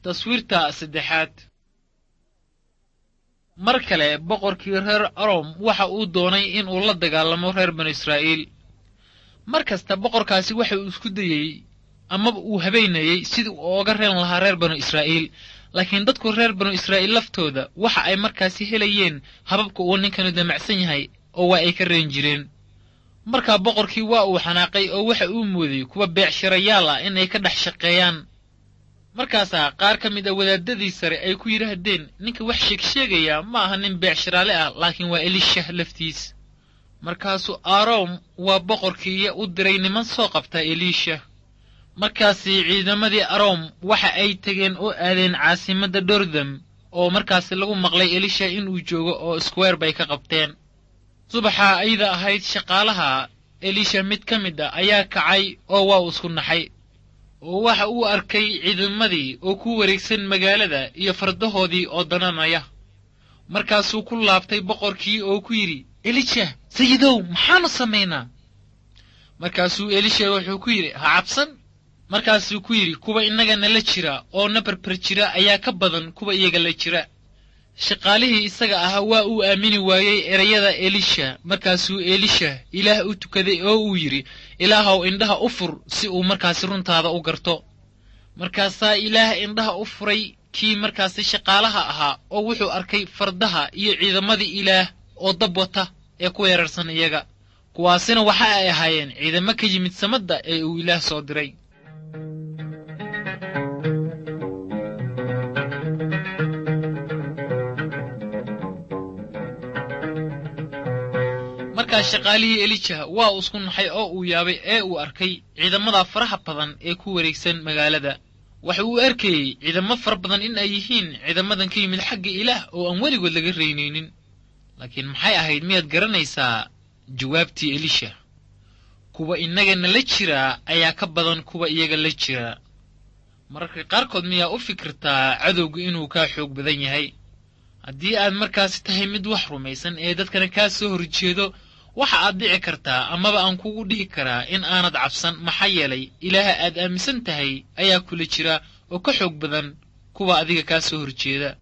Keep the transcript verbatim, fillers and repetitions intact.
Taswiirta saddexaad. Mar kale boqorkii reer Arom waxa uu doonay in uu la dagaalamo reer banu Israa'iil. Mar kasta boqorkaasi waxa uu isku dayey amaba uu habeynayey sidii uu oga reen lahaa reer banu Israa'iil, laakiin dadku reer banu Israa'iil laftooda waxa ay markaasi helayeen hababka uu ninkanu damacsan yahay oo waa ay ka reen jireen. Markaa boqorkii waa uu xanaaqay oo waxa uu mooday kuwa beecshirayaal ah inay ka dhex shaqeeyaan. Markaasaa qaar ka mid a wadaadadii sare ay ku yidhaahdeen, ninka wax sheegsheegaya ma aha nin beecshiraale ah, laakiin waa Elisha laftiis. Markaasuu Arom waa boqorkii u diray niman soo qabta Elisha. Markaasi ciidamadii Arom waxa ay tegeen oo aadeen caasimadda Dordam, oo markaasi lagu maqlay Elisha inuu joogo oo square bay ka qabteen. Subaxa ayda ahayd shaqaalaha Elisha mid ka mid ah ayaa kacay oo waa uu isku naxay, oo waxa uu arkay ciidamadii oo ku wareegsan magaalada iyo fardahoodii oo dananaya. Markaasuu ku laabtay boqorkii oo ku yidhi, Elisha, sayidow, maxaanu samaynaa? Markaasuu Elisha wuxuu ku yidhi, ha cabsan. Markaasuu ku yidhi, kuwa innaga nala jira oo na barbar jira ayaa ka badan kuwa iyaga la jira. Shaqaalihii isaga ahaa waa uu aamini waayey erayada Elisha. Markaasuu Elisha Ilaah u tukaday oo uu yidhi, Ilaahow indhaha u fur si uu markaasi runtaada u garto. Markaasaa Ilaah indhaha u furay kii markaasi shaqaalaha ahaa, oo wuxuu arkay fardaha iyo ciidamadii Ilaah oo dab wata ee ku weerarsan iyaga. Kuwaasina waxa ay ahaayeen ciidamo ka yimid samadda ee uu Ilaah soo diray. Markaas shaqaalihii Elija waa uu isku naxay oo uu yaabay ee uu arkay ciidamada faraha badan ee ku wareegsan magaalada. Waxa uu arkayey ciidamo fara badan in ay yihiin ciidamadan ka yimid xagga Ilaah oo aan weligood laga reynaynin. Laakiin maxay ahayd, miyaad garanaysaa jawaabtii Elisha? Kuwa innaga nala jira ayaa ka badan kuwa iyaga la jira. Mararka qaarkood miyaa u fikirtaa cadowgu inuu kaa xoog badan yahay? Haddii aad markaasi tahay mid wax rumaysan ee dadkana kaa soo horjeedo, waxa aad dhici kartaa amaba aan kugu dhihi karaa in aanad cabsan, maxaa yeelay Ilaaha aad aaminsan tahay ayaa kula jira oo ka xoog badan kuwa adiga kaa soo horjeeda.